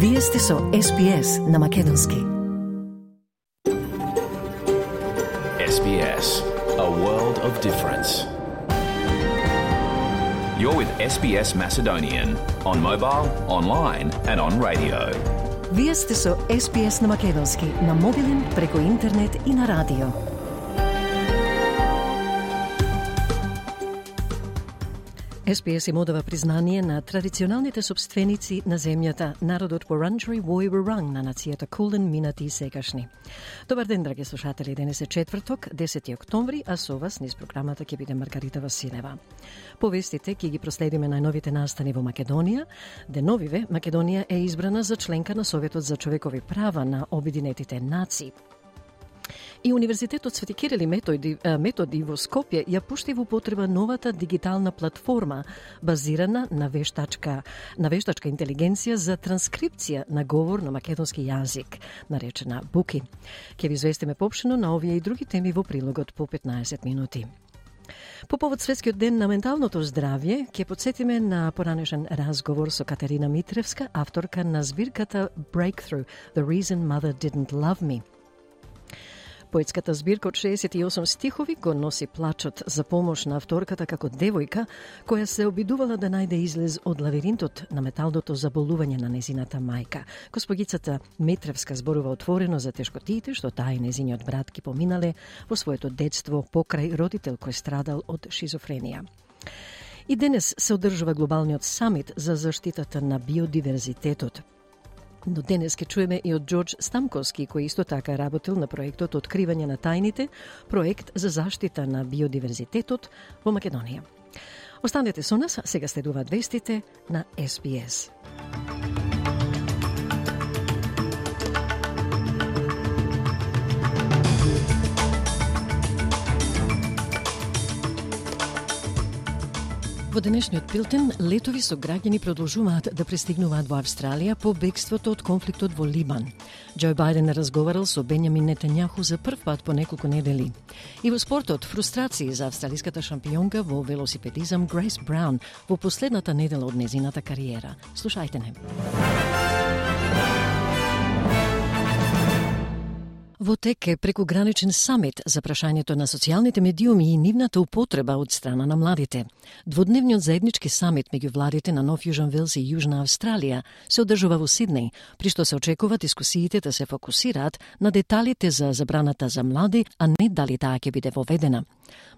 Вие сте со SBS на Македонски. SBS, a world of difference. You're with SBS Macedonian on mobile, online and on radio. Вие сте со SBS на Македонски на мобилен, преку интернет и на радио. SBS им одава признание на традиционалните собственици на земјата, народот Wurundjeri Woi-wurrung на нацијата Кулен, минати и сегашни. Добар ден, драги слушатели, денес е четврток, 10 октомври, а со вас низ програмата ќе биде Маргарита Василева. Повестите ќе ги проследиме најновите настани во Македонија. Деновиве Македонија е избрана за членка на Советот за човекови права на Обединетите нации. И Универзитетот Свети Кирил и Методи во Скопје ја пушти во употреба новата дигитална платформа базирана на вештачка интелигенција за транскрипција на говор на македонски јазик, наречена Буки. Ќе ви известиме поопштено на овие и други теми во прилогот по 15 минути. По повод Светскиот ден на менталното здравје, ќе потсетиме на поранешен разговор со Катерина Митревска, авторка на збирката Breakthrough, The Reason Mother Didn't Love Me. Поетската збирка од 68 стихови го носи плачот за помош на авторката како девојка која се обидувала да најде излез од лавиринтот на металното заболување на незината мајка. Госпогицата Митревска зборува отворено за тешкотиите што таа и незиниот брат ги поминале во своето детство покрај родител кој страдал од шизофренија. И денес се одржува глобалниот самит за заштитата на биодиверзитетот. Но денес ќе чуеме и од Џорџ Стамковски, кој исто така работил на проектот Откривање на тајните, проект за заштита на биодиверзитетот во Македонија. Останете со нас, сега следуваат вестите на SBS. Во денешниот билтен, летови со граѓани продолжуваат да пристигнуваат во Австралија по бегството од конфликтот во Либан. Џо Бајден разговарал со Бенјамин Нетањаху за прв пат по неколку недели. И во спортот, фрустрации за австралиската шампионка во велосипедизам Грейс Браун во последната недела од незината кариера. Слушајте не. Во тек е прекуграничен самит за прашањето на социјалните медиуми и нивната употреба од страна на младите. Дводневниот заеднички самит меѓу владите на Нов Јужен Велс и Јужна Австралија се одржува во Сиднеј, при што се очекува дискусиите да се фокусираат на деталите за забраната за млади, а не дали таа ќе биде воведена.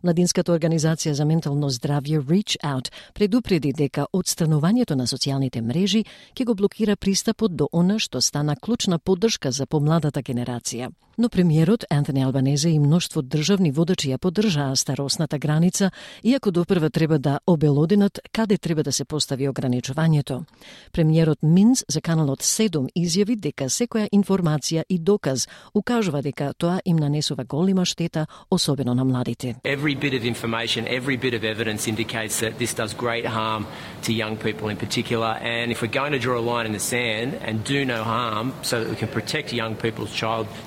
Младинската организација за ментално здравје Reach Out предупреди дека отстранувањето на социјалните мрежи ќе го блокира пристапот до она што стана клучна поддршка за помладата генерација. Но премиерот Антони Албанезе и мноштво државни водачи ја поддржаа старосната граница, иако допрва треба да обелоденат каде треба да се постави ограничувањето. Премиерот Минс за каналот 7 изјави дека секоја информација и доказ укажува дека тоа им нанесува голема штета, особено на младите. Every bit of information, every bit of evidence indicates that this does great harm to young people in particular, and if we're going to draw a line in the sand and do no harm so that we can protect young people's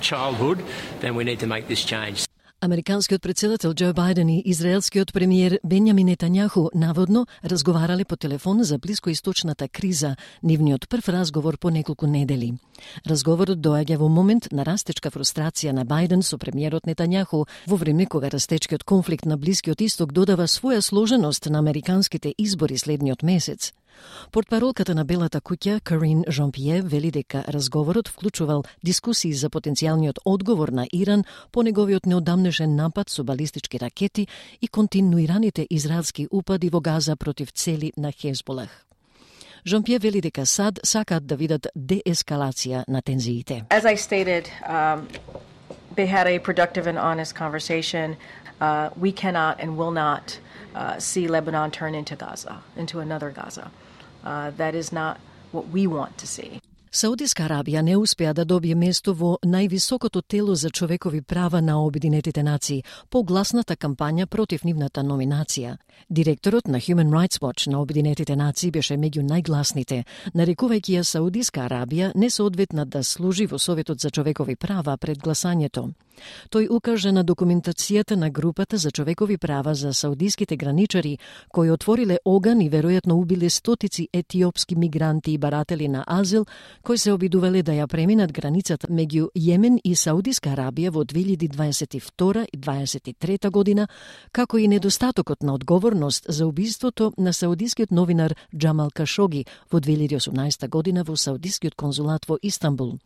childhood, then we need to make this change. Американскиот претседател Џо Бајден и израелскиот премиер Бенјамин Нетањаху наводно разговарале по телефон за блискоисточната криза, нивниот прв разговор по неколку недели. Разговорот доаѓа во момент на растечка фрустрација на Бајден со премиерот Нетањаху во време кога растечкиот конфликт на Блискиот исток додава своја сложеност на американските избори следниот месец. Портпаролката на Белата куќа, Карин Жан-Пиер, вели дека разговорот вклучувал дискусии за потенцијалниот одговор на Иран по неговиот неодамнешен напад со балистички ракети и континуираните израелски упади во Газа против цели на Хезболах. Жан-Пиер вели дека САД сакаат да видат деескалација на тензиите. As I stated, they had a productive and honest conversation. We cannot and will not see Lebanon turn into Gaza, into another Gaza. That is not what we want to see. Саудиска Арабија не успеа да добие место во највисокото тело за човекови права на Обединетите нации по гласната кампања против нивната номинација. Директорот на Human Rights Watch на Обединетите нации беше меѓу најгласните, нарекувајќи ја Саудиска Арабија несоодветна да служи во Советот за човекови права пред гласањето. Тој укажа на документацијата на групата за човекови права за саудиските граничари, кои отвориле оган и веројатно убиле стотици етиопски мигранти и баратели на азил, кои се обидувале да ја преминат границата меѓу Јемен и Саудиска Арабија во 2022 и 2023 година, како и недостатокот на одговорност за убиството на саудискиот новинар Џамал Кашоги во 2018 година во Саудискиот конзулат во Истанбул.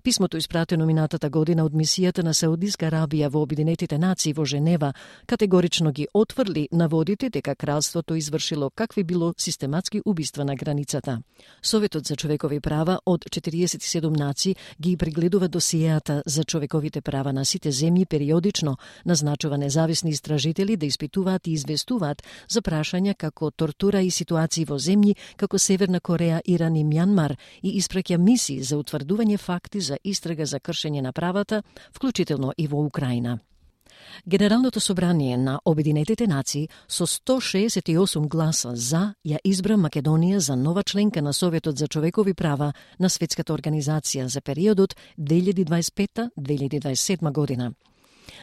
Писмото испратено минатата година од мисијата на Саудиска Арабија во Обединетите нации во Женева категорично ги отврли наводите дека кралството извршило какви било систематски убиства на границата. Советот за човекови права од 47 нации ги прегледува досиеата за човековите права на сите земји периодично, назначува независни истражители да испитуваат и известуваат за прашања како тортура и ситуации во земји како Северна Кореја, Иран и Мјанмар и испраќа мисии за утврдување факти за истрага за кршење на правата, вклучително и во Украина. Генералното собрание на Обединетите нации со 168 гласа за ја избра Македонија за нова членка на Советот за човекови права на Светската организација за периодот 2025-2027 година.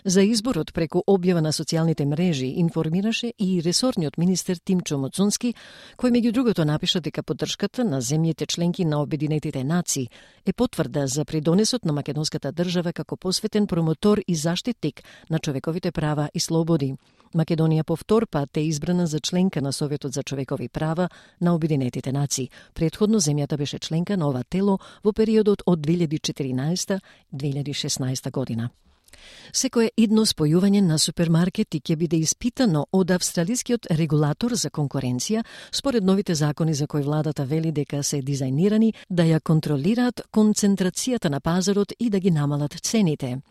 За изборот преку објава на социјалните мрежи информираше и ресорниот министер Тимчо Моцунски, кој меѓу другото напиша дека поддршката на земјите членки на Обединетите нации е потврда за придонесот на македонската држава како посветен промотор и заштитник на човековите права и слободи. Македонија по втор пат е избрана за членка на Советот за човекови права на Обединетите нации. Предходно земјата беше членка на ова тело во периодот од 2014-2016 година. Секое идно спојување на супермаркети ќе биде испитано од австралискиот регулатор за конкуренција, според новите закони за кои владата вели дека се дизајнирани да ја контролираат концентрацијата на пазарот и да ги намалат цените.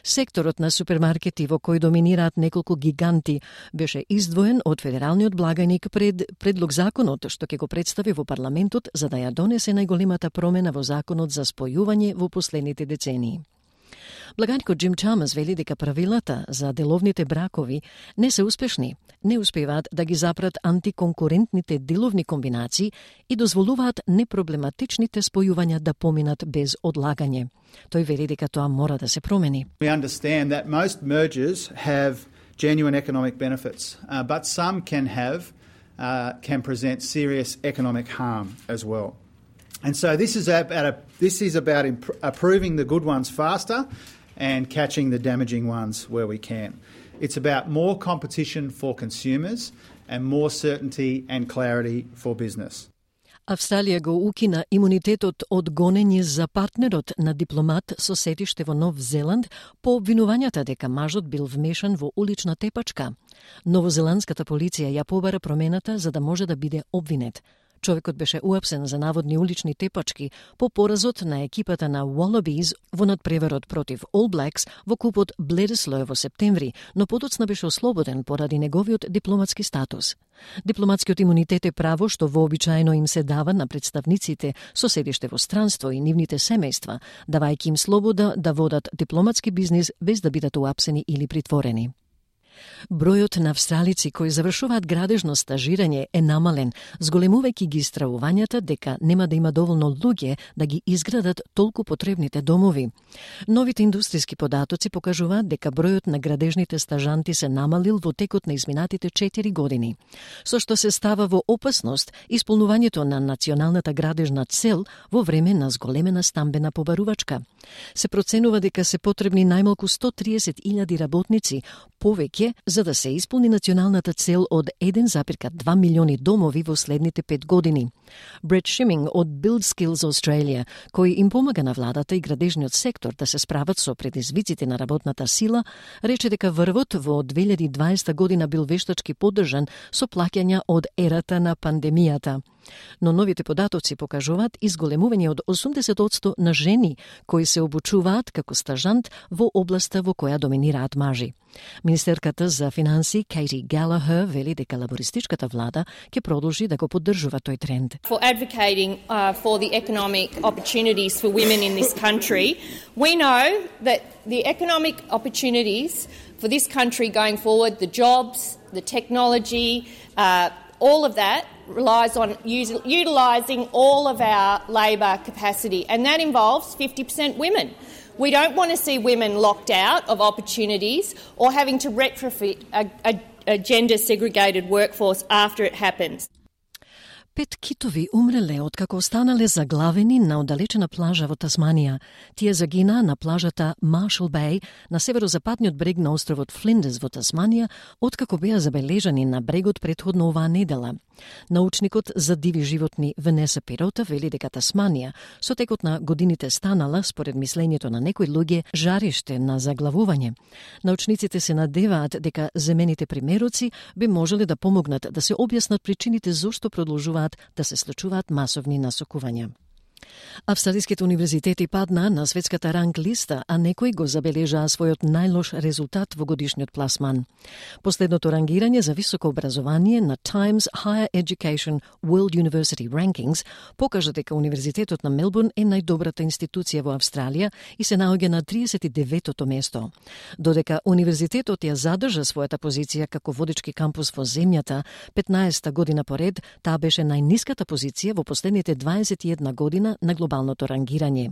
Секторот на супермаркети во кој доминираат неколку гиганти беше издвоен од федералниот благајник пред предлог законот што ќе го представи во парламентот за да ја донесе најголемата промена во законот за спојување во последните децении. Благајникот Джим Чамас вели дека правилата за деловните бракови не се успешни, не успеваат да ги запрат антиконкурентните деловни комбинации и дозволуваат непроблематичните спојувања да поминат без одлагање. Тој вели дека тоа мора да се промени. We understand that most mergers have genuine economic benefits, but some can present serious economic harm as well. And so this is about approving the good ones faster and catching the damaging ones where we can. It's about more competition for consumers and more certainty and clarity for business. Австралија го укина имунитетот од гонење за партнерот на дипломат со сетиште во Нов Зеланд по обвинувањата дека мажот бил вмешан во улична тепачка. Новозеландската полиција ја побара промената за да може да биде обвинет. Човекот беше уапсен за наводни улични тепачки по поразот на екипата на Wallabies во надпреварот против All Blacks во купот Bledisloe во септември, но подоцна беше ослободен поради неговиот дипломатски статус. Дипломатскиот имунитет е право што вообичаено им се дава на представниците со седиште во странство и нивните семејства, давајќи им слобода да водат дипломатски бизнис без да бидат уапсени или притворени. Бројот на австралици кои завршуваат градежно стажирање е намален, зголемувајќи ги стравувањата дека нема да има доволно луѓе да ги изградат толку потребните домови. Новите индустријски податоци покажуваат дека бројот на градежните стажанти се намалил во текот на изминатите 4 години, со што се става во опасност исполнувањето на националната градежна цел во време на зголемена стамбена побарувачка. Се проценува дека се потребни најмалку 130.000 работници повеќе за да се исполни националната цел од 1,2 милиони домови во следните 5 години. Брет Шиминг од Build Skills Australia, кој им помага на владата и градежниот сектор да се справат со предизвиците на работната сила, рече дека врвот во 2020 година бил вештачки поддржан со плаќања од ерата на пандемијата. Но новите податоци покажуваат изголемување од 80% на жени кои се обучуваат како стажант во областа во која доминираат мажи. Министерката за финансии Кейти Галахер вели дека лабористичката влада ќе продолжи да го поддржува тој тренд. For advocating for the economic opportunities for women in this country, we know that the economic opportunities for this country going forward, the jobs, the technology, all of that relies on utilising all of our labour capacity, and that involves 50% women. We don't want to see women locked out of opportunities or having to retrofit a gender-segregated workforce after it happens. 5 китови умреле откако останале заглавени на оддалечена плажа во Тасманија. Тие загина на плажата Marshall Bay на северозападниот брег на островот Флиндерс во Тасманија, откако беа забележани на брегот претходно оваа недела. Научникот за диви животни Венеса Пирота вели дека Тасманија со текот на годините станала, според мислењето на некои луѓе, жариште на заглавување. Научниците се надеваат дека земените примероци би можеле да помогнат да се објаснат причините зошто продолжуваат да се случуваат масовни насокувања. Австралиските универзитети паднаа на светската ранг листа, а некои го забележаа својот најлош резултат во годишниот пласман. Последното рангирање за високо образование на Times Higher Education World University Rankings покажа дека Универзитетот на Мелбурн е најдобрата институција во Австралија и се наоѓа на 39-то место. Додека Универзитетот ја задржа својата позиција како водечки кампус во земјата, 15-та година поред, таа беше најниската позиција во последните 21 година на глобалното рангирање.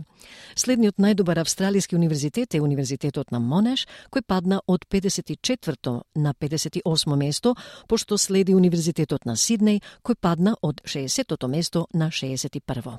Следниот најдобар австралиски универзитет е Универзитетот на Монеш, кој падна од 54-то на 58-мо место, пошто следи Универзитетот на Сиднеј, кој падна од 60-то место на 61-во.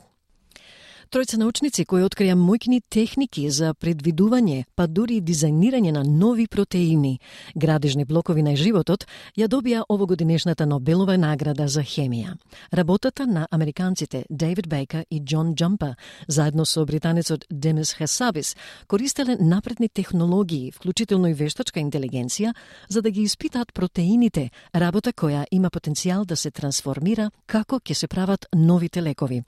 Тројца научници кои открија мојкни техники за предвидување, па дури и дизајнирање на нови протеини, градежни блокови на животот, ја добија овогодинешната Нобелова награда за хемија. Работата на американците Дейвид Бейкер и Џон Џампа, заедно со британецот Демис Хасабис, користеле напредни технологии, вклучително и вештачка интелигенција, за да ги испитаат протеините, работа која има потенцијал да се трансформира како ќе се прават новите лекови.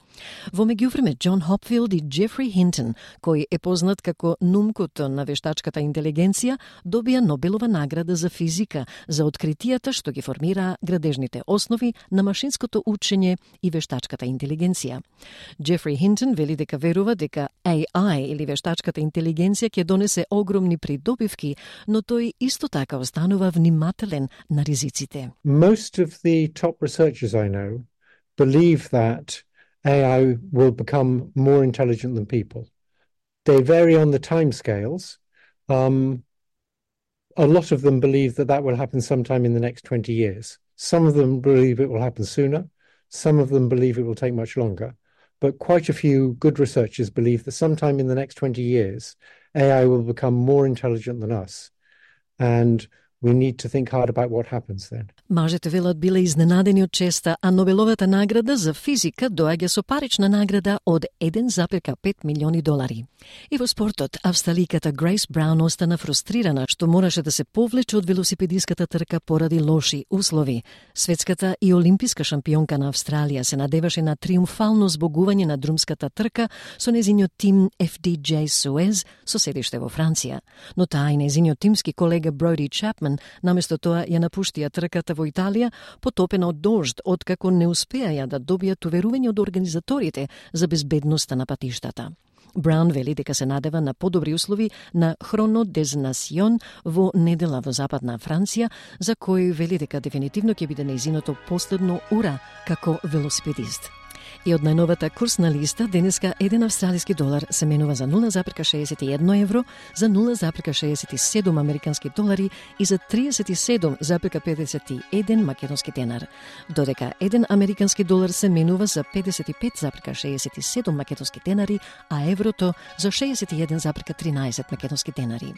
Во меѓувреме, Џон Хопфилд и Джефри Хинтон, кој е познат како нумкото на вештачката интелигенција, добија Нобелова награда за физика за откритијата што ги формираа градежните основи на машинското учење и вештачката интелигенција. Джефри Хинтон вели дека верува дека AI или вештачката интелигенција ќе донесе огромни придобивки, но тој исто така останува внимателен на ризиците. Most of the top researchers I know believe that AI will become more intelligent than people. They vary on the timescales. A lot of them believe that that will happen sometime in the next 20 years. Some of them believe it will happen sooner. Some of them believe it will take much longer. But quite a few good researchers believe that sometime in the next 20 years, AI will become more intelligent than us. And we need to think hard about what happens then. Мажете велат биле изненадени од честа, а Нобеловата награда за физика доаѓа со парична награда од $1,5 милиони. И во спортот, австраликата Грейс Браун остана фрустрирана што мораше да се повлече од велосипедиската трка поради лоши услови. Светската и олимписка шампионка на Австралија се надеваше на триумфално збогување на друмската трка со незиниот тим FDJ Suez со седиште во Франција. Но таа и незиниот тимски колега Броди Чапман наместо тоа ја напуштија трката во Италија, потопена од дожд, откако не успеаја да добијат уверување од организаторите за безбедноста на патиштата. Браун вели дека се надева на подобри услови на Хроно дез Насион во недела во Западна Франција, за кој вели дека дефинитивно ќе биде нејзиното последно ура како велосипедист. И од најновата курсна листа, денеска $1 австралиски долар се менува за 0,61 евро, за 0,67 американски долари и за 37,51 македонски денар, додека 1 американски долар се менува за 55,67 македонски денари, а еврото за 61,13 македонски денари.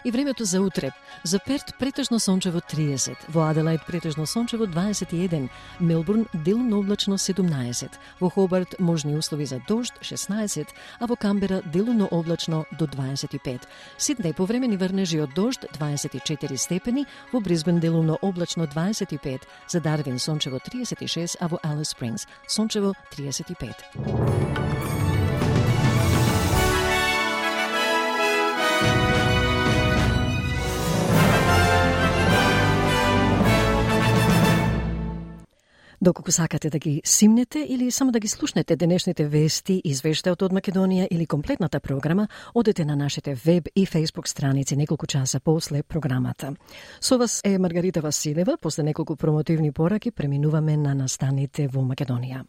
И времето за утре. За Перт претежно сончево 30, во Аделаид претежно сончево 21, Мелбурн делумно облачно 17, во Хобарт можни услови за дожд 16, а во Камбера делумно облачно до 25. Сиднеј повремени врнежи од дожд 24 степени, во Брисбен делумно облачно 25, за Дарвин сончево 36, а во Алис Спрингс сончево 35. Доколку сакате да ги симнете или само да ги слушнете денешните вести, извештајот од Македонија или комплетната програма, одете на нашите веб и фейсбук страници неколку часа после програмата. Со вас е Маргарита Василева. После неколку промотивни пораки преминуваме на настаните во Македонија.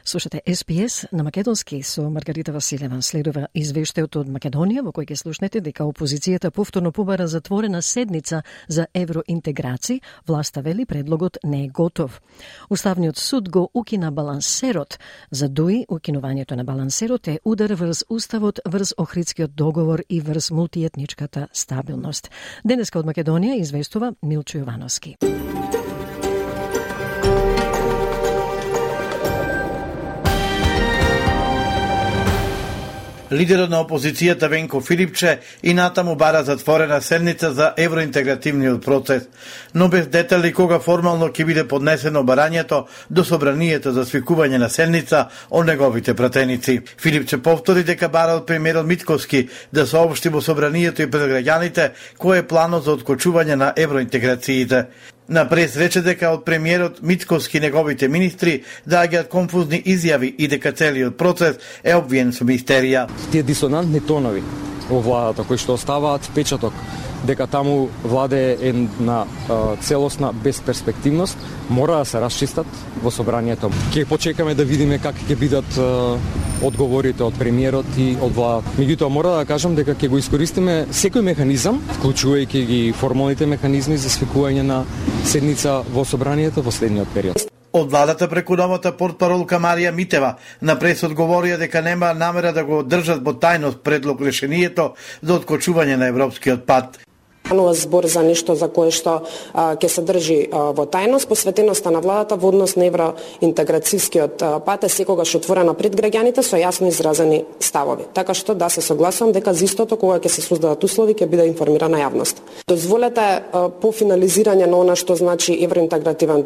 Слушате SPS на македонски со Маргарита Василева. Следува извештајот од Македонија во кој ќе слушнете дека опозицијата повторно побара затворена седница за евроинтеграција. Власта вели предлогот не е готов. Уставниот суд го укина балансерот. За ДУИ укинувањето на балансерот е удар врз уставот, врз Охридскиот договор и врз мултиетничката стабилност. Денеска од Македонија известува Милчо Јовановски. Лидерот на опозицијата Венко Филипче и натаму бара затворена седница за евроинтегративниот процес, но без детали кога формално ќе биде поднесено барањето до собранието за свикување на седница од неговите пратеници. Филипче повтори дека бара од премиерот Мицковски да соопшти во собранието и пред граѓаните кој е планот за откочување на евроинтеграциите. На прес рече дека од премиерот Мицковски неговите министри доаѓаат конфузни изјави и дека целиот процес е обвиен со мистерија. Тие дисонантни тонови во владата кои што оставаат впечаток дека таму владе е на целосна безперспективност, мора да се расчистат во собранието. Ќе почекаме да видиме как ќе бидат одговорите од премиерот и од владата. Меѓутоа мора да кажам дека ќе го искористиме секој механизам, вклучувајќи ги формалните механизми за свикување на седница во собранието во следниот период. Од владата преку новата портпаролка Марија Митева на прес одговорија дека нема намера да го држат во тајност предлог решението за откочување на европскиот пат. Збор за нешто за кое што ќе се држи во тајност. Посветеноста на владата во однос на евроинтеграцијскиот пат е секогаш отворена пред граѓаните со јасно изразени ставови. Така што да се согласувам дека за истото кога ќе се создадат услови ќе биде информирана јавност. Дозволете по финализирање на она што значи евроинтегративен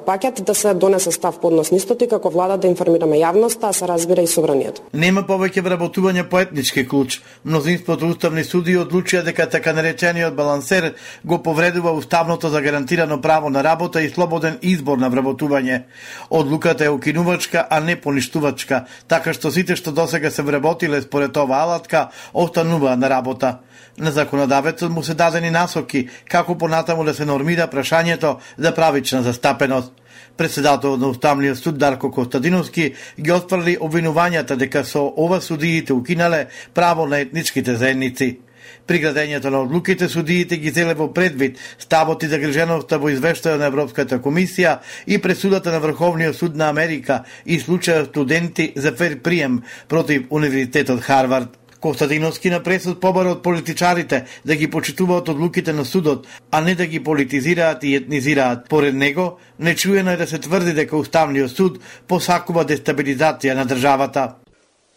пакет да се донесе став по однос на истото и како влада да информираме јавноста, а се разбира и собранието. Нема повеќе вработување по етнички клуч. Мнозинството уставни суди одлучија дека така наречениот балансер го повредува уставното загарантирано право на работа и слободен избор на вработување. Одлуката е укинувачка, а не поништувачка, така што сите што досега се вработиле според оваа алатка остануваат на работа. На законодавецот му се дадени насоки како понатаму да се нормира прашањето за правична застапеност. Председателот на Уставниот суд Дарко Костадиновски ги отфрли обвинувањата дека со ова судиите укинале право на етничките заедници. При градењето на одлуките судиите ги земе во предвид ставот и загриженоста во извештајот на Европската комисија и пресудата на Врховниот суд на Америка и случајот студенти за фер прием против Универзитетот Харвард. Костадиновски на пресот побара од политичарите да ги почитуваат одлуките на судот, а не да ги политизираат и етнизираат. Поред него, нечуено е да се тврди дека Уставниот суд посакува дестабилизација на државата.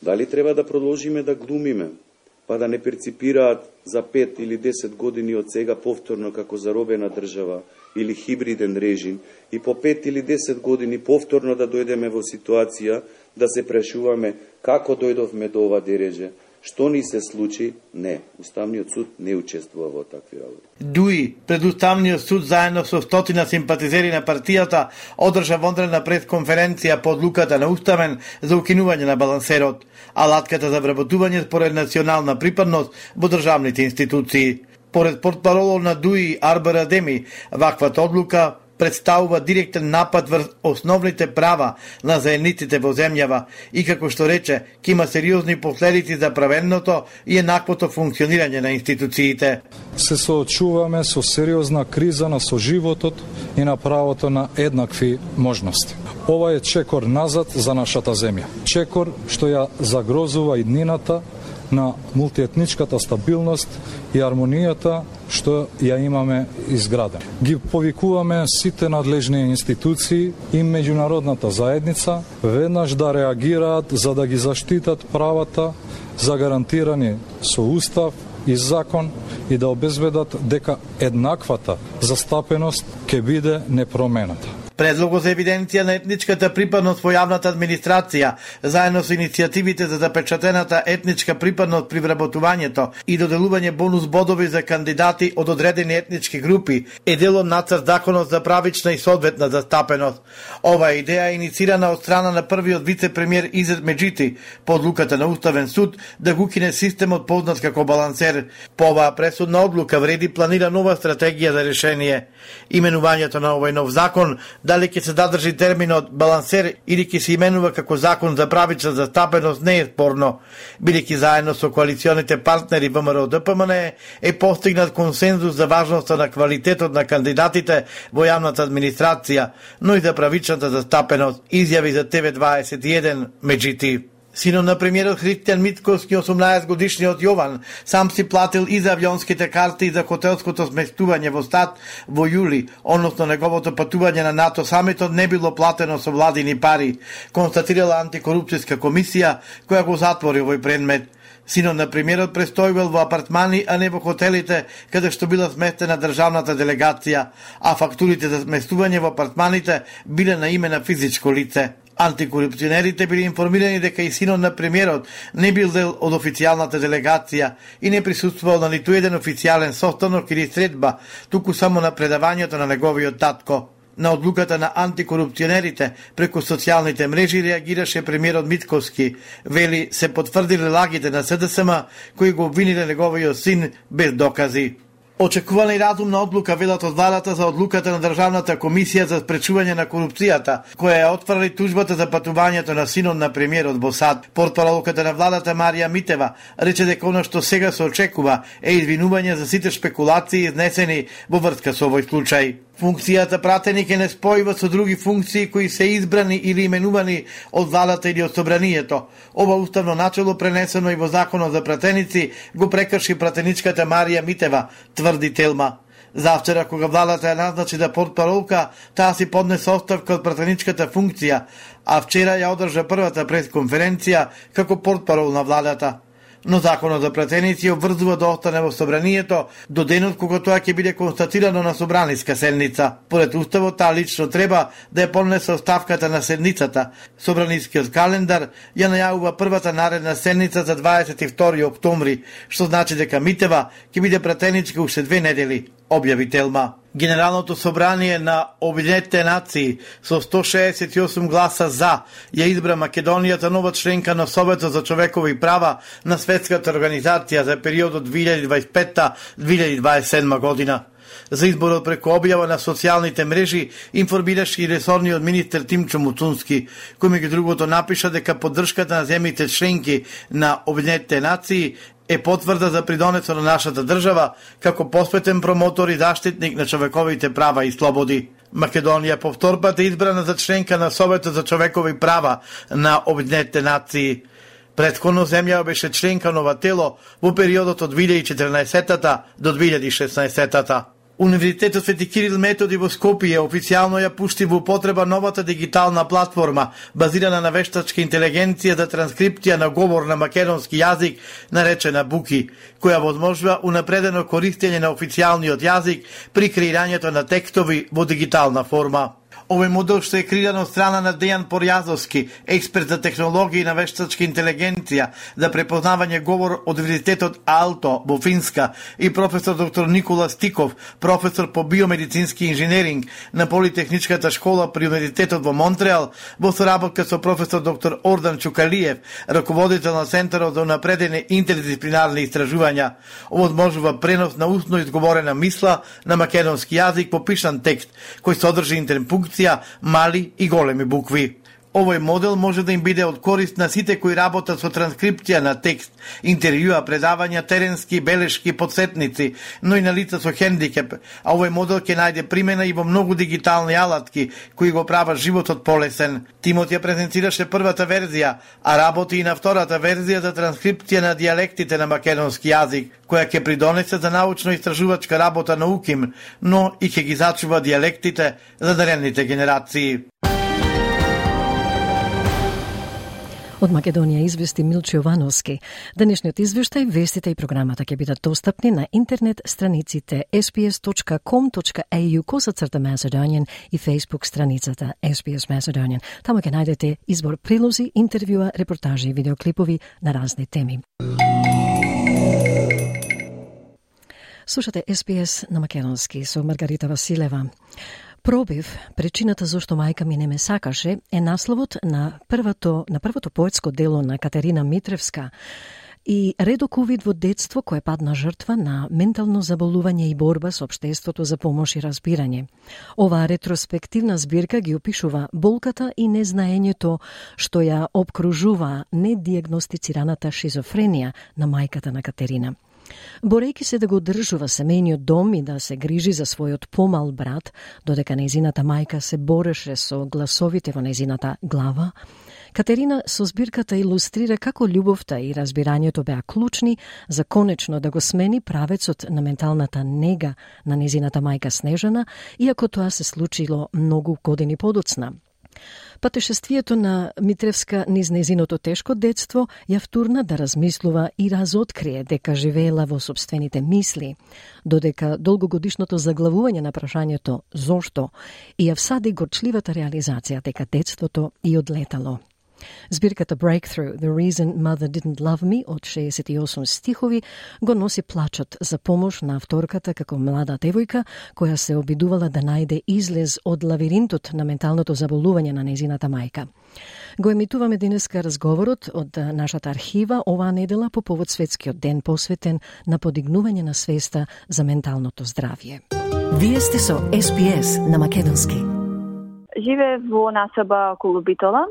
Дали треба да продолжиме да глумиме, па да не перципираат за 5 или 10 години од сега повторно како заробена држава или хибриден режим и по 5 или 10 години повторно да дојдеме во ситуација да се прашуваме како дојдовме до ова дереже, што ни се случи? Не, Уставниот суд не учествува во такви работи. ДУИ пред Уставниот суд заедно со стотина симпатизери на партијата одржа вонредна пресконференција по одлуката на Уставен за укинување на балансерот, алатката за вработување според национална припадност во државните институции. Поред портпаролот на ДУИ Арбер Адеми, ваквата одлука представува директен напад врз основните права на заедниците во земјава и, како што рече, ќе има сериозни последици за правенното и еднаквото функционирање на институциите. Се соочуваме со сериозна криза на соживотот и на правото на еднакви можности. Ова е чекор назад за нашата земја. Чекор што ја загрозува иднината на мултиетничката стабилност и армонијата што ја имаме изградена. Ги повикуваме сите надлежни институции и меѓународната заедница веднаш да реагираат за да ги заштитат правата загарантирани со устав и закон и да обезбедат дека еднаквата застапеност ќе биде непромената. Предлогот за евиденција на етничката припадност во јавната администрација, заедно со иницијативите за запечатената етничка припадност при вработувањето и доделување бонус бодови за кандидати од одредени етнички групи, е дел од нацрт законот за правична и соодветна застапеност. Ова идеја е иницирана од страна на првиот вице-премиер Изет Меджити по одлуката на Уставен суд да го укине системот познат како балансер. По оваа пресудна одлука вреди планира нова стратегија за решение. Именувањето на овој нов закон Дали ќе се задржи терминот балансер или ќе се именува како закон за правична застапеност не е спорно, бидејќи заедно со коалиционите партнери ВМРО ДПМН е постигнат консензус за важноста на квалитетот на кандидатите во јавната администрација, но и за правичната застапеност, изјави за ТВ21 Меджити. Синот на премиерот Христијан Мицкоски, 18 годишниот Јован, сам си платил и за авионските карти и за хотелското сместување во САД во јули, односно неговото патување на НАТО самитот не било платено со владини пари, констатирала антикорупцијска комисија која го затвори овој предмет. Синот на премиерот престојувал во апартмани, а не во хотелите, каде што била сместена државната делегација, а фактурите за сместување во апартманите биле на име на физичко лице. Антикорупционерите били информирани дека и синот на премиерот не бил дел од официјалната делегација и не присуствувал на ниту еден официјален состанок или средба, туку само на предавањето на неговиот татко. На одлуката на антикорупционерите преку социјалните мрежи реагираше премиерот Мицкоски. Вели се потврдиле лагите на СДСМ кои го обвиниле неговиот син без докази. Очекувана и разумна одлука велат од владата за одлуката на Државната комисија за спречување на корупцијата, која ја отврли тужбата за патувањето на синот на премиерот во САД. Портпаролката на владата Марија Митева рече дека она што сега се очекува е извинување за сите шпекулации изнесени во врска со овој случај. Функцијата пратеник е не спојува со други функции кои се избрани или именувани од владата или од собранието. Ова уставно начело пренесено и во законот за пратеници го прекрши пратеничката Марија Митева, тврди Телма. Завчера кога владата ја назначи да портпаролка, таа си поднесе оставка од пратеничката функција, а вчера ја одржа првата пресконференција како портпарол на владата. Но законот за пратеници обврзува да остане во собранието до денот кога тоа ќе биде констатирано на собраниска седница. Поред уставот, таа лично треба да ја поднесе оставката на седницата. Собранискиот календар ја најавува првата наредна седница за 22 октомври, што значи дека Митева ќе биде пратеничка уште 2 недели, објави Телма. Генералното собрание на Обединетите нации со 168 гласа за ја избра Македонија за нова членка на Советот за човекови права на Светската организација за периодот 2025-2027 година. За изборот преку објава на социјалните мрежи информираше и ресорниот министер Тимчо Муцунски, кој меѓу другото напиша дека поддршката на земјите членки на Обединетите нации е потврда за придонесот на нашата држава како посветен промотор и заштитник на човековите права и слободи. Македонија по втор пат е избрана за членка на Советот за човекови права на Обединетите нации. Претходно земја беше членка на ова тело во периодот од 2014 до 2016. Универзитетот Свети Кирил Методи во Скопје официјално ја пушти во употреба новата дигитална платформа базирана на вештачка интелигенција за транскрипција на говор на македонски јазик, наречена Буки, која возможува унапредено користење на официјалниот јазик при креирањето на текстови во дигитална форма. Овој модел што е креиран од страна на Дејан Порјазовски, експерт за технологии на вештачка интелигенција за препознавање говор од Универзитетот Aalto во Финска и професор доктор Никола Стиков, професор по биомедицински инженеринг на Политехничката школа при Универзитетот во Монтреал, во соработка со професор доктор Ордан Чукалиев, раководител на Центарот за унапредени интердисциплинарни истражувања. Овозможува пренос на устно изговорена мисла на македонски јазик по пишан текст, кој содржи интерпункција, мали и големи букви. Овој модел може да им биде од корист на сите кои работат со транскрипција на текст, интервјуа, предавања, теренски белешки, подсетници, но и на лица со хендикеп, а овој модел ќе најде примена и во многу дигитални алатки, кои го прават животот полесен. Тимот ја презентираше првата верзија, а работи и на втората верзија за транскрипција на дијалектите на македонски јазик, која ќе придонесе за научно-истражувачка работа на УКИМ, но и ќе ги зачува дијалектите за наредните генерации. Од Македонија извести Милчо Јовановски. Денешниот извештај, вестите и програмата ќе бидат достапни на интернет страниците sbs.com.au/Macedonian и Facebook страницата SBS Macedonian. Таму ќе најдете избор прилози, интервјуа, репортажи и видеоклипови на разни теми. Слушате SBS на македонски со Маргарита Василева. Пробив, причината зашто мајка ми не ме сакаше, е насловот на првото поетско дело на Катерина Митревска. и редок увид во детство кој падна жртва на ментално заболување и борба со општеството за помош и разбирање. Оваа ретроспективна збирка ги опишува болката и незнаењето што ја обкружува недиагностицираната шизофренија на мајката на Катерина. Борејќи се да го одржува семејниот дом и да се грижи за својот помал брат, додека нејзината мајка се бореше со гласовите во нејзината глава, Катерина со збирката илустрира како љубовта и разбирањето беа клучни за конечно да го смени правецот на менталната нега на нејзината мајка Снежана, иако тоа се случило многу години подоцна. Патешествието на Митревска низ нејзиното тешко детство ја втурна да размислува и разоткрие дека живеела во собствените мисли, додека долгогодишното заглавување на прашањето «Зошто?» и ја всади горчливата реализација дека детството и одлетало. Збирката Breakthrough, The Reason Mother Didn't Love Me од 68 стихови го носи плачот за помош на авторката како млада девојка која се обидувала да најде излез од лавиринтот на менталното заболување на нејзината мајка. Го емитуваме денеска разговорот од нашата архива оваа недела по повод Светскиот ден посветен на подигнување на свеста за менталното здравје. Вие сте со SBS на македонски. Живее во насоба околу Битола.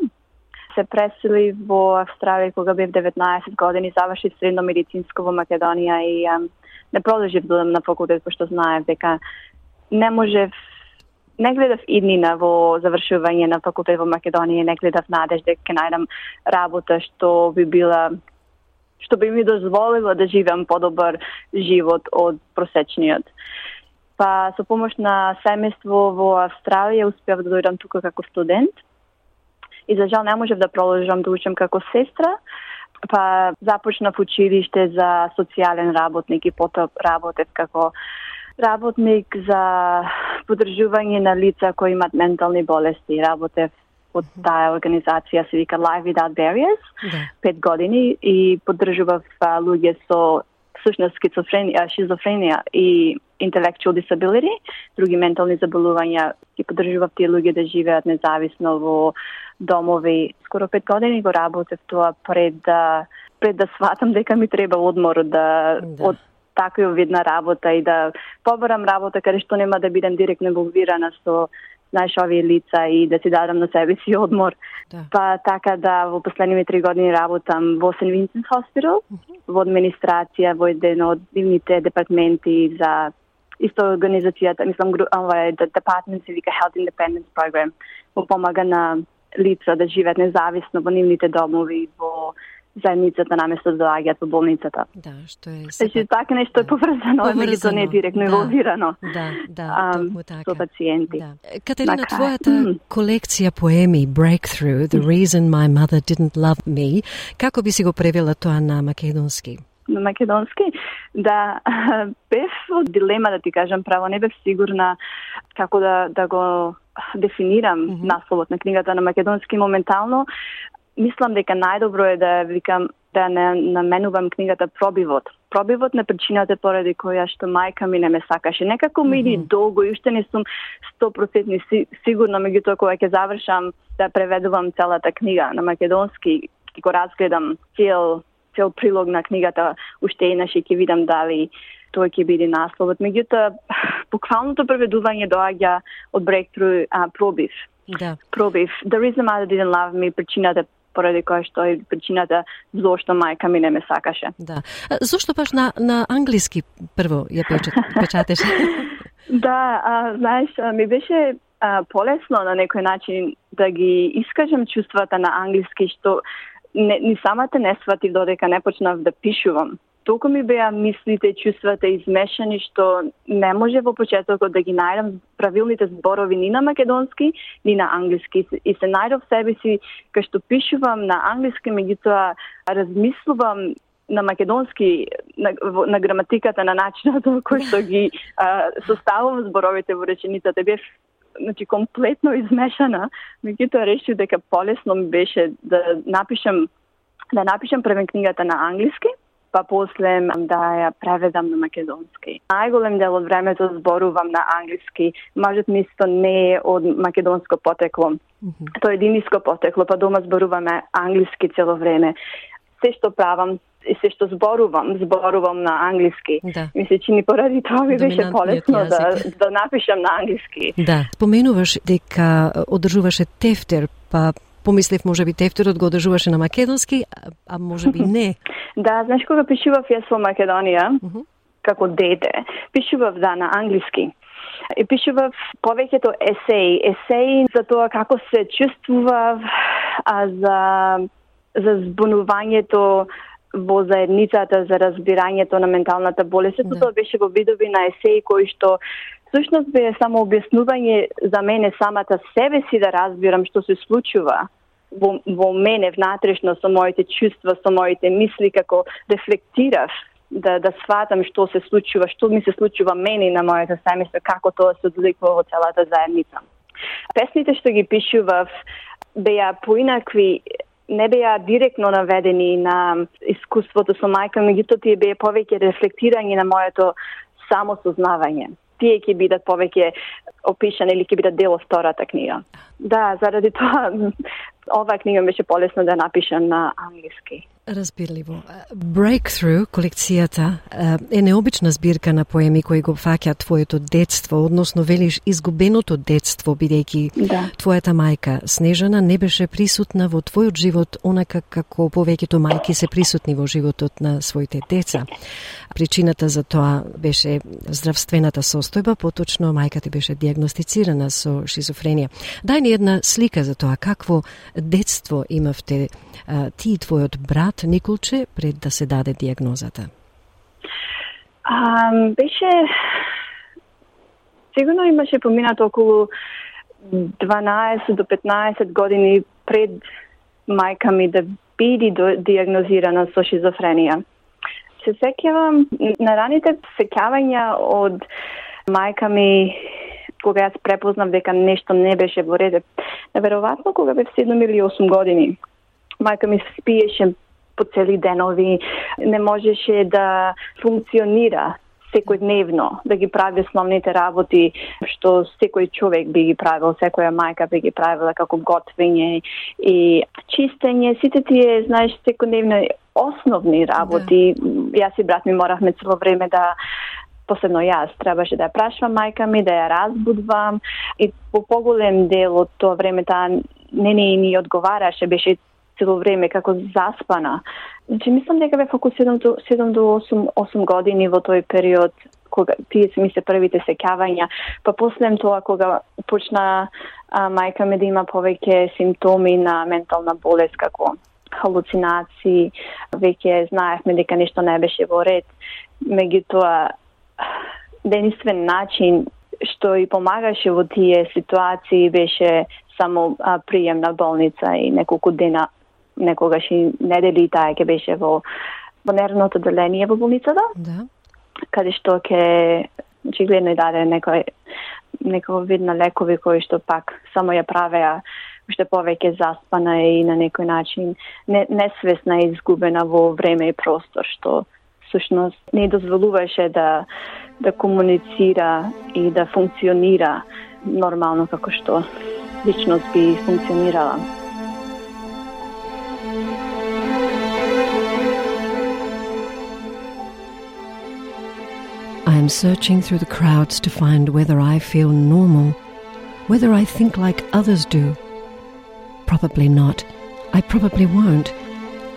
Се пресели во Австралија кога бев 19 години, завршив средно медицинско во Македонија и не продолжив да одам на факултет, пошто знаев дека не гледав иднина во завршување на факултет во Македонија, не гледав надеж дека ќе најдам работа што би ми дозволила да живеам подобар живот од просечниот. Па со помош на семејство во Австралија успеав да дојдам тука како студент. И за жал не можев да продолжам да учам како сестра, па започнав училиште за социјален работник и потоа работев како работник за поддржување на лица кои имат ментални болести. Работев од таа организација се вика Life Without Barriers, 5 години и поддржував луѓе со всушност шизофренија и intellectual disability, други ментални заболувања, и поддржував тие луѓе да живеат независно во домови. Скоро 5 години го работев тоа пред да сватам дека ми треба одмор од таква видна работа и да побарам работа каде што нема да бидам директно инволвирана со овие лица и да си дадам на себе си одмор. Па така да во последниве 3 години работам во St. Vincent's Hospital, во администрација, во еден од дивните департменти за исто организацијата, Department се вика Health Independence Program, во помага на лица да живеат независно во нивните домови, во заедницата наместо да доаѓаат во болницата. Да, што е Значи така нешто е поврзано, меѓутоа не е директно инволвирано. Токму така. Со пациенти. Катерина, твојата колекција поеми Breakthrough, The Reason My Mother Didn't Love Me, како би си го превела тоа на македонски? На македонски, да, бев во дилема, да ти кажам право, не бев сигурна како да го дефинирам насловот на книгата на македонски моментално. Мислам дека најдобро е да не наменувам книгата Пробивот. Пробивот на причината поради која што мајка ми не ме сакаше. Некако ми иди долго и уште не сум 100% сигурна, меѓутоа кога ќе завршам да преведувам целата книга на македонски и го разгледам цел прилог на книгата, уште еднаш ќе видам дали тој ќе биде насловот. Меѓутоа, буквалното преведување доаѓа од Breakthrough Пробив. Да. Пробив. The Reason Mother Didn't Love Me, причината поради која што е причината зошто мајка ми не ме сакаше. Да. Зошто баш на англиски прво ја печатеш? Да, знаеш, ми беше полесно на некој начин да ги искажам чувствата на англиски, што ни самата не сватив додека не почнав да пишувам. Толку ми беа мислите, чувствата измешани, што не може во почетокот да ги најдам правилните зборови ни на македонски, ни на англиски. И се најдов себе си, кај што пишувам на англиски, меѓутоа размислувам на македонски, на граматиката, на начинот во кој што ги составувам зборовите во реченицата. Бев комплетно измешана, меѓутоа решив дека полесно ми беше да напишам првен книгата на англиски, па после да ја преведам на македонски. Најголем дел од времето зборувам на англиски. Мажот ми исто не е од македонско потекло. Тој е единиско потекло, па дома зборуваме англиски цело време. се што правам и се што зборувам на англиски. Да. Ми се чини поради тоа ми беше полесно да напишам на англиски. Да, споменуваш дека одржуваше тефтер, па помислев можеби тефтерот го одржуваше на македонски, а можеби не. Да, знаеш кога пишував јас во Македонија, како дете, пишував на англиски. И пишував повеќето есеи за тоа како се чувствував, за збунувањето во заедницата, за разбирањето на менталната болест. Сето тоа беше во видови на есеи кои што всушност бе само објаснување за мене самата себе си да разбирам што се случува во мене внатрешно со моите чувства, со моите мисли, како рефлектирав да сватам што се случува, што ми се случува мене на моето семејство, како тоа се одликува во целата заедница. Песните што ги пишував беа поинакви, не беа директно наведени на искуството со мајка, меѓутоа тие беа повеќе рефлектирање на моето самосознавање. Тие ќе бидат повеќе опишани или ќе бидат дел од втората книга. Да, заради тоа оваа книга беше полесно да напишам на англиски. Разбирливо. Breakthrough, колекцијата, е необична збирка на поеми кои го фаќаат твоето детство, односно велиш изгубеното детство, бидејќи твојата мајка Снежана не беше присутна во твојот живот онака како повеќето мајки се присутни во животот на своите деца. Причината за тоа беше здравствената состојба, поточно мајка ти беше дијагностицирана со шизофренија. Дај ни една слика за тоа какво детство имавте ти и твојот брат Николче пред да се даде дијагнозата. Беше сигурно имаше поминато околу 12 до 15 години пред мајка ми да биде дијагнозирана со шизофренија. Се сеќавам на раните сеќавања од мајка ми кога јас препознав дека нешто не беше во ред. Неверојатно кога бев 7 или 8 години. Мајка ми спиеше по цели денови, не можеше да функционира секојдневно, да ги прави основните работи што секој човек би ги правил, секоја мајка би ги правила, како готвење и чистење, сите тие, знаеш, секојдневни основни работи. Јас и брат ми моравме цело време да посебно јас требаше да ја прашвам мајка ми, да ја разбудвам и по поголем дел од тоа време таа не ни одговараше, беше цело време како заспана. Значи, мислам дека бе околу 7 до 8 години во тој период, кога тие се ми се првите сеќавања. Па после тоа, кога почна мајка ми да има повеќе симптоми на ментална болест, како халуцинации, веќе знаевме дека нешто не беше во ред. Меѓутоа, единствен начин што и помагаше во тие ситуации беше само прием на болница и неколку дена, некогаш и недели таа ќе беше во нервното одделение во болницата. Да. Каде што ќе очигледно и даде некој вид на лекови кои што пак само ја правеа уште повеќе заспана и на некој начин несвесна и изгубена во време и простор, што всушност не дозволуваше да комуницира и да функционира нормално како што личност би функционирала. I am searching through the crowds to find whether I feel normal, whether I think like others do. Probably not. I probably won't.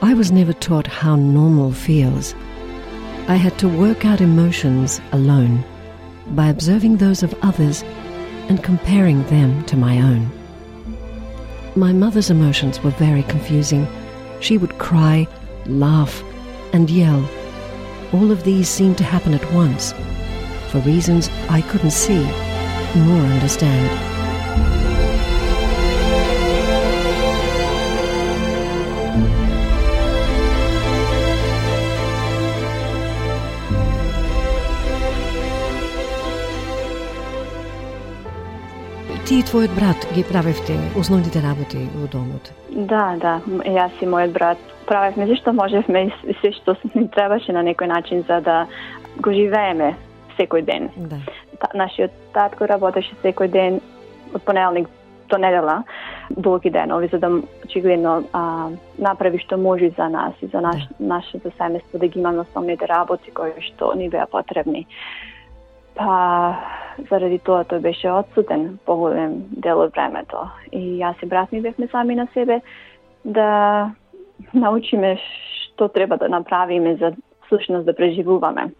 I was never taught how normal feels. I had to work out emotions alone, by observing those of others and comparing them to my own. My mother's emotions were very confusing. She would cry, laugh, and yell. All of these seemed to happen at once, for reasons I couldn't see nor understand. Ти и твојот брат ги правевте основните работи во домот? Да, јас и мојот брат правевме зашто можевме и се што ни требаше на некој начин за да го живееме секој ден. Да. Нашиот татко работеше секој ден од понеделник до недела, долги денови, за да очигледно направи што може за нас и за нашето семејство, да ги имаме основните работи кои што ни беа потребни. Па, заради тоа тој беше отсутен поголем дел од времето. И јас и брат ми бевме сами на себе да научиме што треба да направиме за сушност да преживуваме.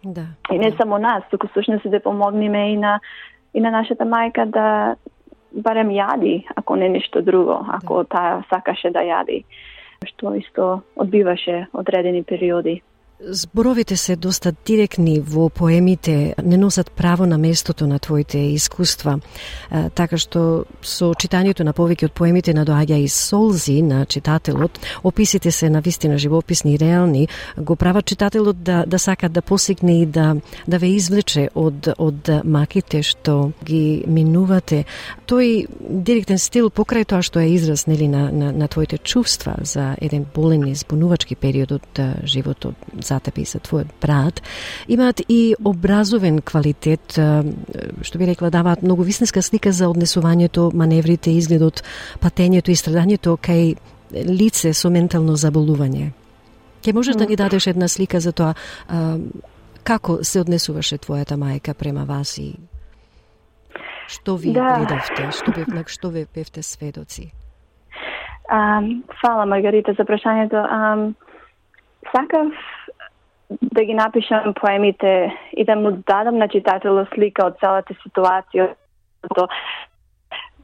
И не само нас, туку сушност да помогнеме и на нашата мајка да барем јади, ако не нешто друго, ако таа сакаше да јади, што исто одбиваше одредени периоди. Зборовите се доста директни во поемите, не носат право на местото на твоите искуства, така што со читањето на повеќе од поемите надоаѓа и солзи на читателот. Описите се навистина живописни и реални, го прават читателот да сака да посегне и да ве извлече од маките што ги минувате. Тој директен стил, покрај тоа што е израз на твоите чувства за еден болен и збунувачки период од животот за тебе и за твојот брат, имаат и образовен квалитет, што би рекла, даваат многу вистинска слика за однесувањето, маневрите, изгледот, патењето и страдањето кај лице со ментално заболување. Ке можеш да ни дадеш една слика за тоа како се однесуваше твојата мајка према вас и што ви гледавте, што ви бевте сведоци? Фала, Маргарита, за прашањето. Сакав да ги напишам поемите и да му дадам на читателот слика од целата ситуација,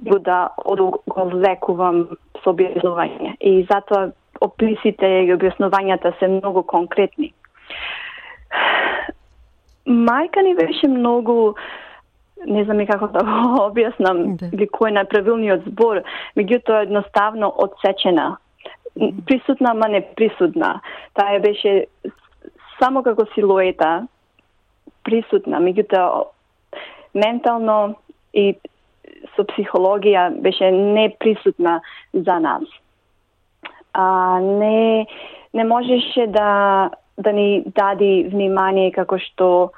да го лекувам со објаснување. И затоа описите и објаснувањата се многу конкретни. Мајка ни беше многу, не знам и како да го објаснам, или кој е најправилниот збор, меѓутоа едноставно одсечена. Присутна, ама не присутна. Таа беше само како силуета присутна, меѓутоа ментално и со психологија беше неприсутна за нас. Не можеше да ни дади внимание како што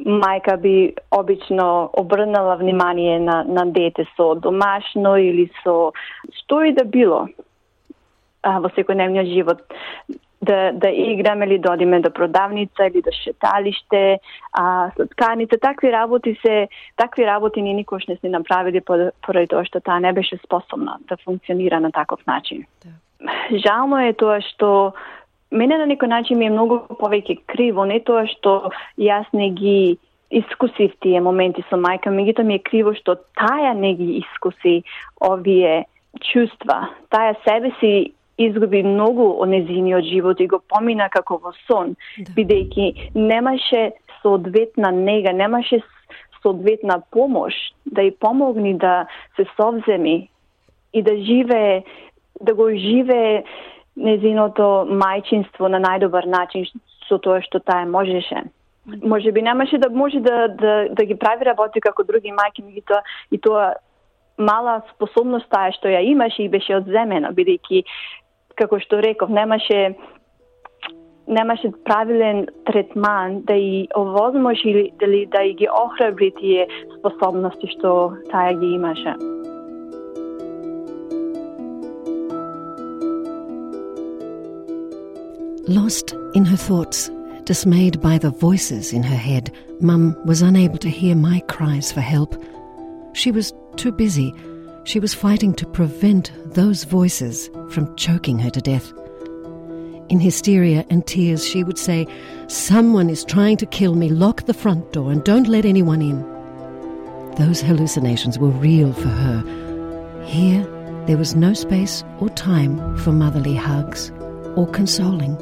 мајка би обично обрнала внимание на дете со домашно или со што и да било во секојдневниот живот. Да играме или да одиме до продавница или до шеталиште, сладкарница, такви работи ние никош не сме направили поради тоа што таа не беше способна да функционира на таков начин. Жално е тоа што мене на некој начин ми е многу повеќе криво, не тоа што јас не ги искусив тие моменти со мајка, меѓутоа ми е криво што таа не ги искуси овие чувства. Таа себе си изгуби многу од нејзиниот живот и го помина како во сон, бидејќи немаше соодветна нега, немаше соодветна помош да ја помогни да се совземи и да го живее нејзиното мајчинство на најдобар начин со тоа што таа можеше. Може би немаше да може да ги прави работи како други мајки, меѓутоа и тоа мала способност таа што ја имаше и беше одземена, бидејќи како што реков, немаше правилен третман да и овозможи или да и ги охрабри тие способности што таа ги имаше. Lost in her thoughts, dismayed by the voices in her head, Mum was unable to hear my cries for help. She was too busy. She was fighting to prevent those voices from choking her to death. In hysteria and tears, she would say, "Someone is trying to kill me. Lock the front door and don't let anyone in." Those hallucinations were real for her. Here, there was no space or time for motherly hugs or consoling.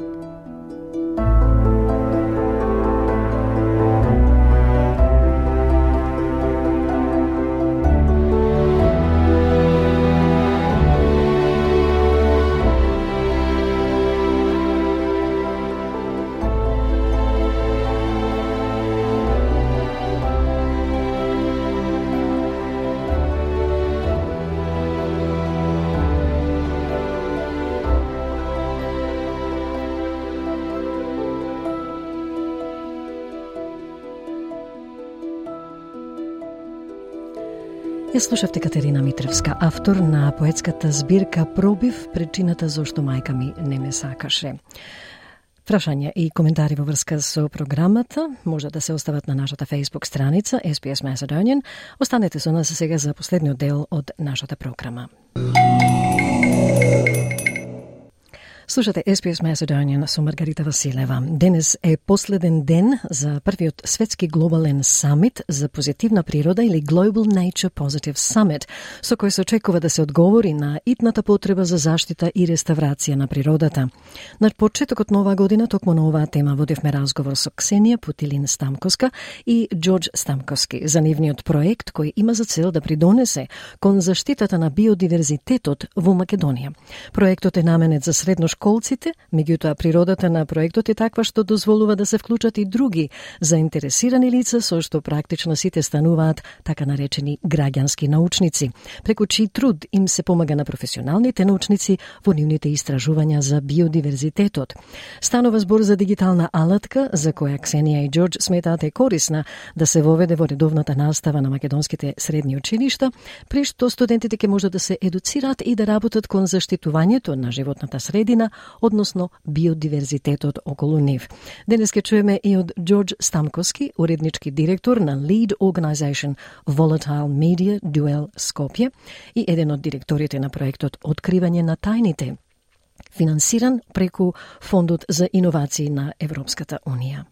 Ја слушавте Катерина Митревска, автор на поетската збирка Пробив, причината зошто мајка ми не ме сакаше. Прашања и коментари во врска со програмата може да се остават на нашата Facebook страница SBS Macedonian. Останете со нас сега за последниот дел од нашата програма. Слушате SBS Macedonian со Маргарита Василева. Денес е последен ден за првиот светски глобален самит за позитивна природа или Global Nature Positive Summit, со кој се очекува да се одговори на итната потреба за заштита и реставрација на природата. На почетокот на оваа година, токму на оваа тема, водевме разговор со Ксенија Путилин Стамковска и Џорџ Стамковски за нивниот проект кој има за цел да придонесе кон заштитата на биодиверзитетот во Македонија. Проектот е наменет за средношколците, меѓутоа природата на проектот е таква што дозволува да се вклучат и други заинтересирани лица со што практично сите стануваат така наречени граѓански научници, преку чиј труд им се помага на професионалните научници во нивните истражувања за биодиверзитетот. Станува збор за дигитална алатка за која Ксенија и Џорџ сметаат е корисна да се воведе во редовната настава на македонските средни училишта, при што студентите ќе можат да се едуцираат и да работат кон заштитувањето на животната средина, односно биодиверзитетот околу нив. Денес ке чуеме и од Џорџ Стамковски, уреднички директор на Lead Organization Volatile Media Duel Skopje и еден од директорите на проектот Откривање на тајните, финансиран преку Фондот за иновации на Европската Унија.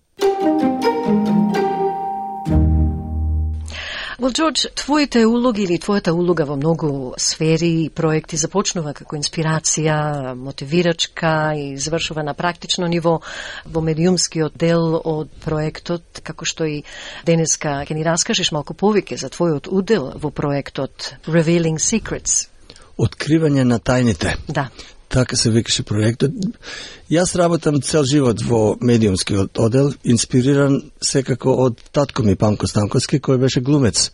Well, Џорџ, твоите улоги или твојата улога во многу сфери и проекти започнува како инспирација, мотивирачка и завршува на практично ниво во медиумскиот дел од проектот, како што и денеска ќе ни раскажеш малку повеќе за твојот удел во проектот Revealing Secrets. Откривање на тајните. Да. Така се викаше проектот. Јас работам цел живот во медиумскиот одел, инспириран секако од татко ми Памко Стамковски, кој беше глумец.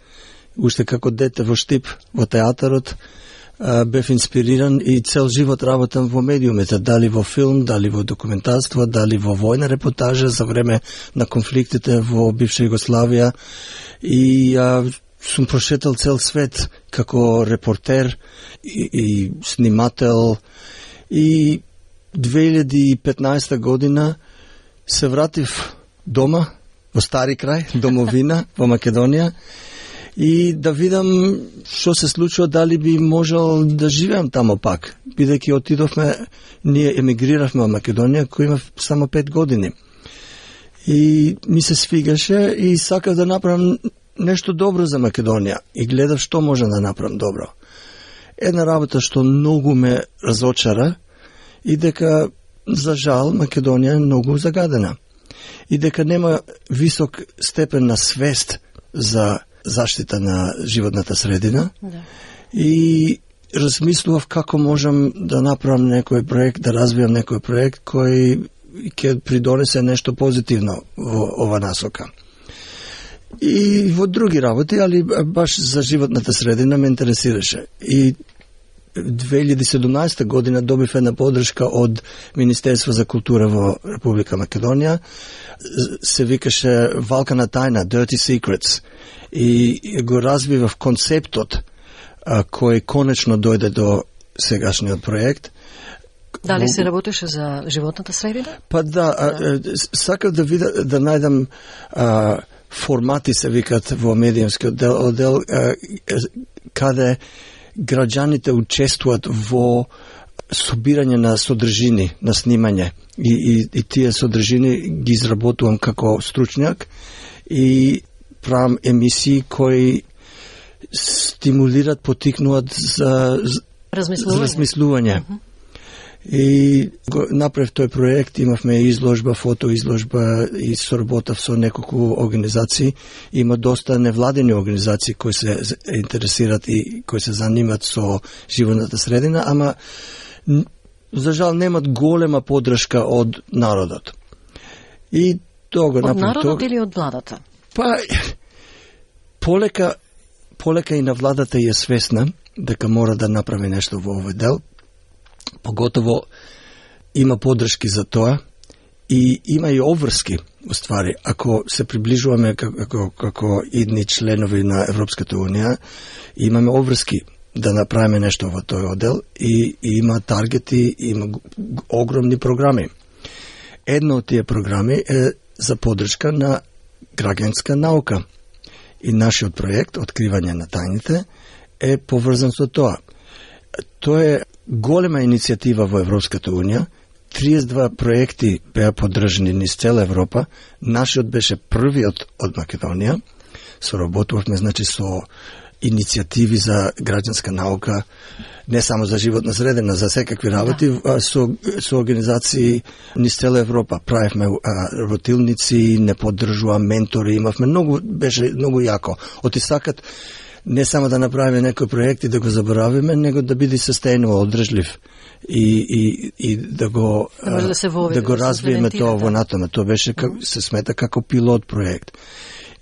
Уште како дете во Штип, во театарот, бев инспириран и цел живот работам во медиумите, дали во филм, дали во документарство, дали во војна репортажа за време на конфликтите во бивша Југославија и сум прошетал цел свет како репортер и снимател. И 2015 година се вратив дома, во Стари крај, домовина, во Македонија, и да видам што се случува, дали би можел да живеам тамо пак, бидејќи отидовме, ние емигриравме во Македонија, кој има само 5 години. И ми се свигаше и сакав да направам нешто добро за Македонија и гледав што може да направам добро. Една работа што многу ме разочара и дека, за жал, Македонија е многу загадена. И дека нема висок степен на свест за заштита на животната средина. Да. И размислував како можам да направам некој проект, да развијам некој проект кој ќе придонесе нешто позитивно во ова насока. И во други работи, али баш за животната средина ме интересираше. И 2017 година добив една подршка од Министерство за култура во Република Македонија. Се викаше Валка на тајна, Dirty Secrets. И го развивав концептот кој конечно дојде до сегашниот проект. Дали се работеше за животната средина? Па да, сакав да видам, да најдам формати се викат во медиумскиот одел, каде граѓаните учествуваат во собирање на содржини, на снимање. И тие содржини ги изработувам како стручњак и правам емисии кои стимулират, потикнуваат за размислување. И го направив тој проект, имавме изложба, фотоизложба и соработав со неколку организации. Има доста невладени организации кои се интересират и кои се занимат со животната средина, ама за жал немат голема подршка од народот. И тоа го направив. Од народот или од владата? Па полека и на владата е свесна дека мора да направи нешто во овој дел. Поготово има подршки за тоа И има и обврски, уствари. Ако се приближуваме како идни членови на Европската Унија, имаме обврски да направиме нешто во тој одел и има таргети, има огромни програми. Едно од тие програми е за поддршка на граѓанска наука. И нашиот проект, Откривање на тајните, е поврзан со тоа. Тоа е голема иницијатива во Европската Унија. 32 проекти беа поддржани низ цела Европа. Нашиот беше првиот од Македонија. Соработувавме, значи, со иницијативи за граѓанска наука, не само за животна средина, за секакви работи, со организации низ цела Европа. Правевме работилници, не поддржува ментори, имавме беше многу јако. Отисакат не само да направиме некој проект и да го заборавиме, него да биде sustainable, одржлив и да го развиеме тоа во натаму. Тоа беше се смета како пилот проект.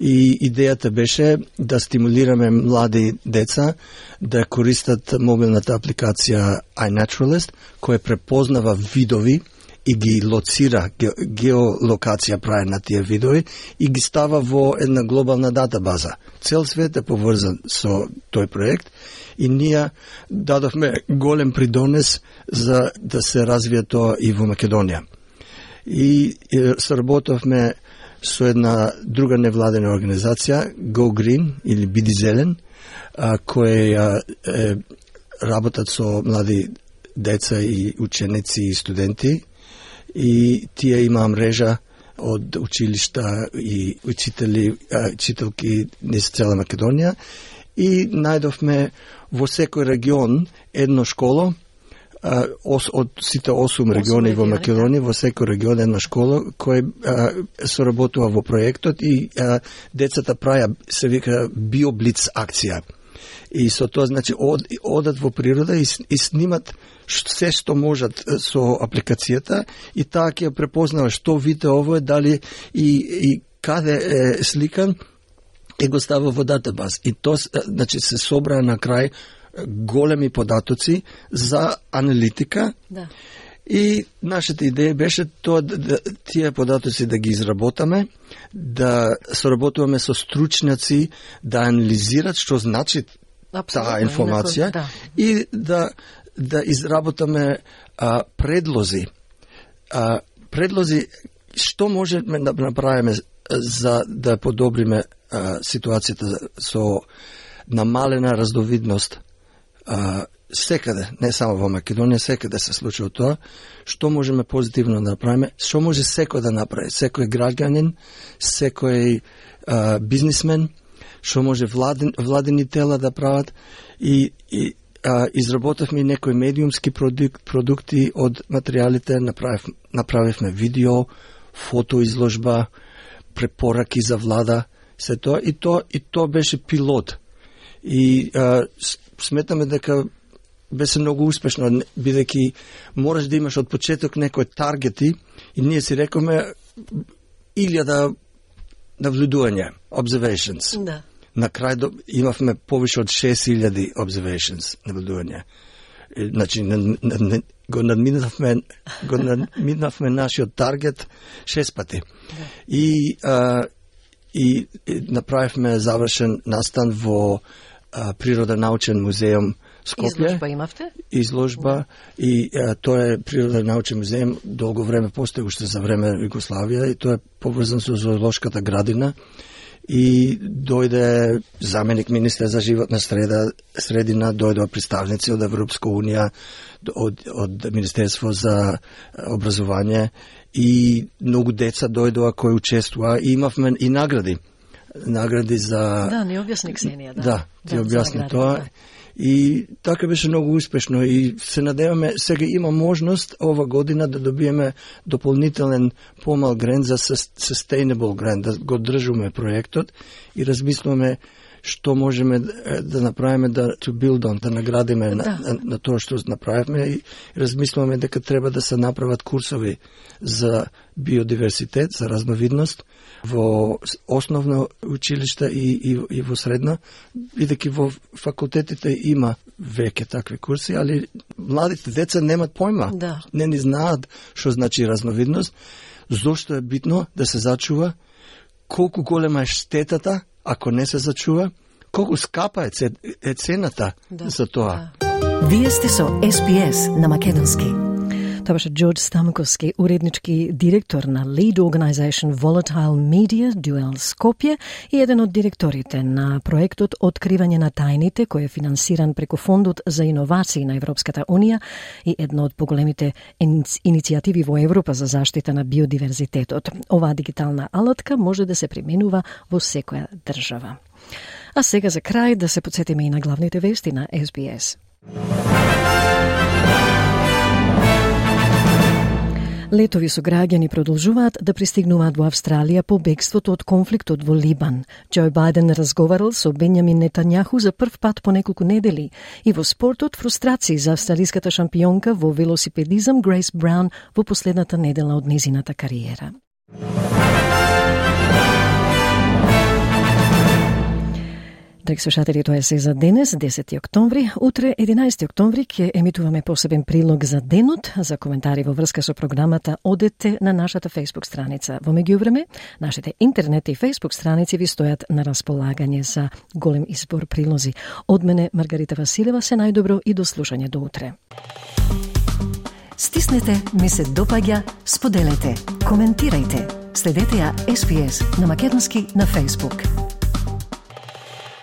И идејата беше да стимулираме млади деца да користат мобилната апликација iNaturalist, која препознава видови и ги лоцира, геолокација прави на тие видови и ги става во една глобална датабаза. Цел свет е поврзан со тој проект и ние дадовме голем придонес за да се развие тоа и во Македонија. И соработовме со една друга невладена организација, Go Green или Биди Зелен, која работат со млади деца и ученици и студенти, и тие имаа мрежа од училишта и учителки низ цела Македонија, и најдовме во секој регион едно школо, од сите 8 региони во Македонија, во секој регион една школа кој соработува во проектот и децата праја, се вика, биоблиц акција. И со тоа, значи, одат во природа и снимат се што можат со апликацијата и таа ќе препознава што вид ово е, дали и каде е сликан и го става во датабаз. И тоа, значи, се собра на крај големи податоци за аналитика. Да. И нашата идеја беше тоа тие податоци да ги изработаме, да соработуваме со стручњаци да анализират што значи таа информација, и да изработаме предлози. Предлози што можеме да направиме за да подобриме ситуацијата со намалена раздовидност секаде, не само во Македонија, секаде се случува тоа. Што можеме позитивно да направиме? Што може секој да направи? Секој граѓанин, секој бизнисмен, што може владени тела да прават, и изработавме некои медиумски продукти од материјалите, направивме видео, фотоизложба, препораки за влада, се тоа, и тоа беше пилот. И сметаме дека беше многу успешно, бидејќи мораш да имаш од почеток некои таргети, и ние си рековме 1000 навлюдувања, observations. Да. На крај имавме повише од 6000 observations, наблюдувања. Значи, го надминавме нашиот таргет 6 пати. Да. И направивме завршен настан во Природонаучен музеум Скопје. Изложба имавте? Изложба, и тоа е Природонаучен музеум, долго време постои уште за време Југославија, и тоа е поврзан со зоолошката градина. И дојде заменик министер за животна средина, дојдоа представници од Европска Унија, од Министерство за образование, и многу деца дојдоа кои учествуваа, и имавме и награди за... Да, не објасни Ксенија, да. Да, ти објасни тоа. Да. И така беше многу успешно, и се надеваме, сега има можност ова година да добиеме дополнителен помал грант за sustainable грант, да го држиме проектот и размислуваме што можеме да направиме, to build on, да наградиме на тоа што направивме, и размислуваме дека треба да се направат курсови за биодиверситет, за разновидност во основно училиште и во средно, бидејќи во факултетите има веќе такви курси, али младите деца немат појма, не ни знаат што значи разновидност. Зошто е битно да се зачува? Колку голема е штетата ако не се зачува? Колку скапа е цената за тоа? Вие сте со SBS на македонски. Тоа беше Джордж Стамковски, уреднички директор на Lead Organization Volatile Media Duel Skopje и еден од директорите на проектот Откривање на тајните, кој е финансиран преку Фондот за иновации на Европската Унија и едно од поголемите иницијативи во Европа за заштита на биодиверзитетот. Оваа дигитална алатка може да се применува во секоја држава. А сега за крај да се потсетиме и на главните вести на SBS. Летови со граѓани продолжуваат да пристигнуваат во Австралија по бегството од конфликтот во Либан. Џо Бајден разговарал со Бенјамин Нетањаху за прв пат по неколку недели. И во спортот фрустрации за австралиската шампионка во велосипедизам Грейс Браун во последната недела од незината кариера. Драги слушатели, тоа е се за денес, 10 октомври. Утре, 11 октомври, ќе емитуваме посебен прилог за денот. За коментари во врска со програмата, одете на нашата Facebook страница. Во меѓувреме, нашите интернет и Facebook страници ви стојат на располагање за голем избор прилози. Од мене, Маргарита Василева, се најдобро и до слушање до утре. Стиснете, ми се допаѓа, споделете, коментирајте. Следете ја SBS на македонски на Facebook.